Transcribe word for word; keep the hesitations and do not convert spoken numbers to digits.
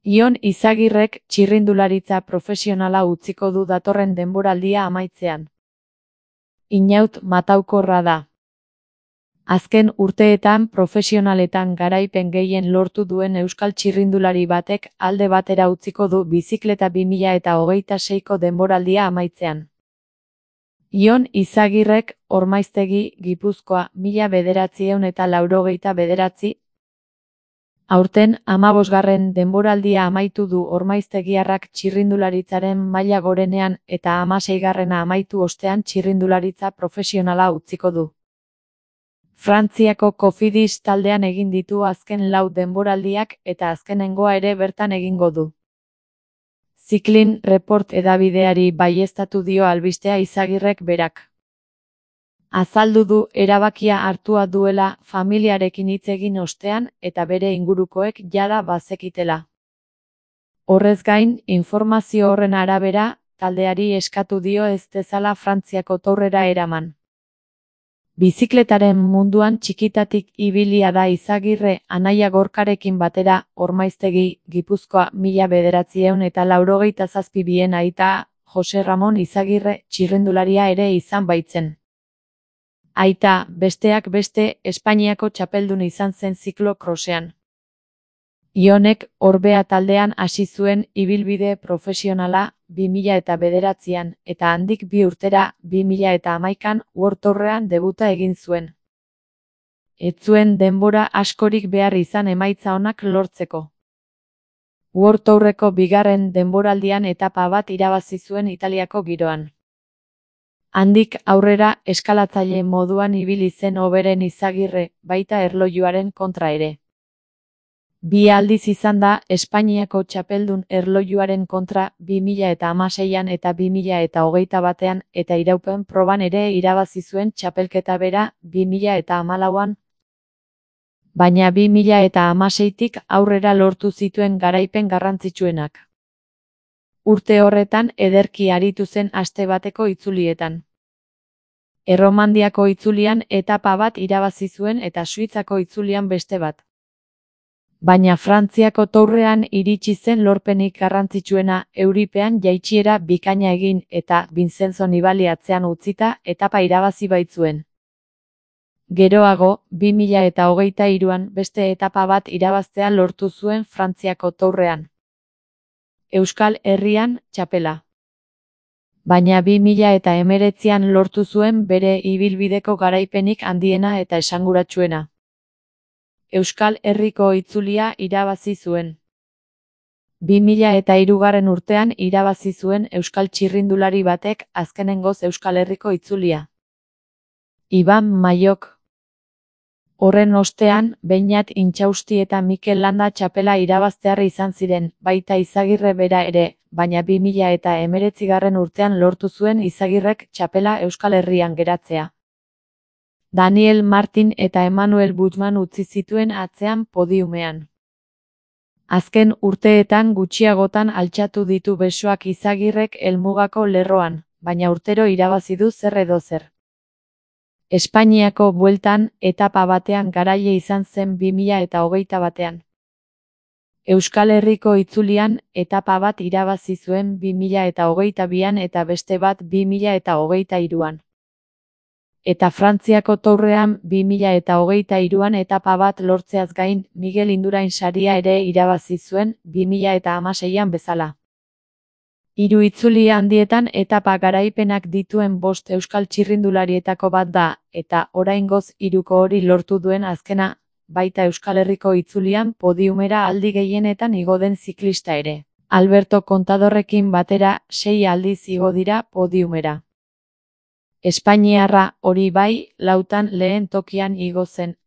Ion Izagirrek txirrindularitza profesionala utziko du datorren denboraldia amaitzean. Inaut mataukorra da. Azken urteetan profesionaletan garaipen gehien lortu duen euskal txirrindulari batek alde batera utziko du bizikleta bi mila hogeita seiko denboraldia amaitzean. Ion Izagirrek Ormaiztegi, Gipuzkoa, mila bederatziehun eta laurogeita bederatzi. Aurten hamabosgarren denboraldia amaitu du ormaiztegiarrak txirrindularitzaren maila gorenean eta hamaseigarrena amaitu ostean txirrindularitza profesionala utziko du. Frantziako Cofidis taldean egin ditu azken lau denboraldiak eta azkenengoa ere bertan egingo du. Cycling Report edabideari baieztatu dio albistea Izagirrek berak. Azaldu du erabakia hartua duela familiarekin hitz egin ostean eta bere ingurukoek jada bazekitela. Horrez gain, informazio horren arabera, taldeari eskatu dio ez dezala Frantziako Tourera eraman. Bizikletaren munduan txikitatik ibilia da Izagirre anaia Gorkarekin batera Ormaiztegi, Gipuzkoa, mila bederatziehun eta laurogeita zazpi bien aita, Jose Ramon Izagirre txirrindularia ere izan baitzen. Aita, besteak beste, Espainiako txapeldun izan zen ziklo-krosean. Ionek Orbea taldean hasi zuen ibilbide profesionala bi mila bederatzian eta handik bi urtera bi mila hamaikan World Tourrean debuta egin zuen. Ez zuen denbora askorik behar izan emaitza onak lortzeko. World Tourreko bigarren denboraldian etapa bat irabazi zuen Italiako giroan. Handik aurrera eskalatzaile moduan ibili zen hoberen Izagirre, baita erlojuaren kontra ere. Bi aldiz izan da Espainiako txapeldun erlojuaren kontra bi mila hamaseian eta bi mila hogeita batean eta iraupen proban ere irabazi zuen txapelketa bera bi mila hamalauan. Baina bi mila hamaseitik aurrera lortu zituen garaipen garrantzitsuenak. Urte horretan ederki aritu zen aste bateko itzulietan. Erromandiako itzulian etapa bat irabazi zuen eta Suitzako itzulian beste bat. Baina Frantziako Tourrean iritsi zen lorpenik garrantzitsuena Euripean jaitsiera bikaina egin eta Vincenzo Nibali atzean utzita etapa irabazi baitzuen. Geroago, bi mila hogeita hiruan beste etapa bat irabaztea lortu zuen Frantziako Tourrean. Euskal Herrian txapela. Baina bi mila hemeretzian lortu zuen bere ibilbideko garaipenik handiena eta esanguratsuena. Euskal Herriko itzulia irabazi zuen. bi mila hirugarren urtean irabazi zuen euskal txirrindulari batek azkenengoz Euskal Herriko itzulia. Iban Maiok. Horren ostean, Beñat Intxausti eta Mikel Landa txapela irabaztearri izan ziren, baita Izagirre bera ere, baina bi mila hemeretzigarren urtean lortu zuen Izagirrek txapela Euskal Herrian geratzea. Daniel Martin eta Emmanuel Buchmann utzi zituen atzean podiumean. Azken urteetan gutxiagotan altxatu ditu besoak Izagirrek helmugako lerroan, baina urtero irabazi du zer edo zer. Espainiako bueltan etapa batean garaile izan zen bi mila hogeita batean. Euskal Herriko itzulian etapa bat irabazi zuen bi mila hogeita bian eta beste bat bi mila hogeita hiruan. Eta Frantziako Tourrean bi mila hogeita hiruan etapa bat lortzeaz gain Miguel Indurain saria ere irabazi zuen bi mila hamaseian bezala. Hiru itzuli handietan etapa garaipenak dituen bost euskal txirrindularietako bat da, eta oraingoz hiruko hori lortu duen azkena, baita Euskal Herriko itzulian podiumera aldi gehienetan igo den ziklista ere. Alberto Contadorrekin batera sei aldiz igo dira podiumera. Espainiarra hori bai, lautan lehen tokian igo zen,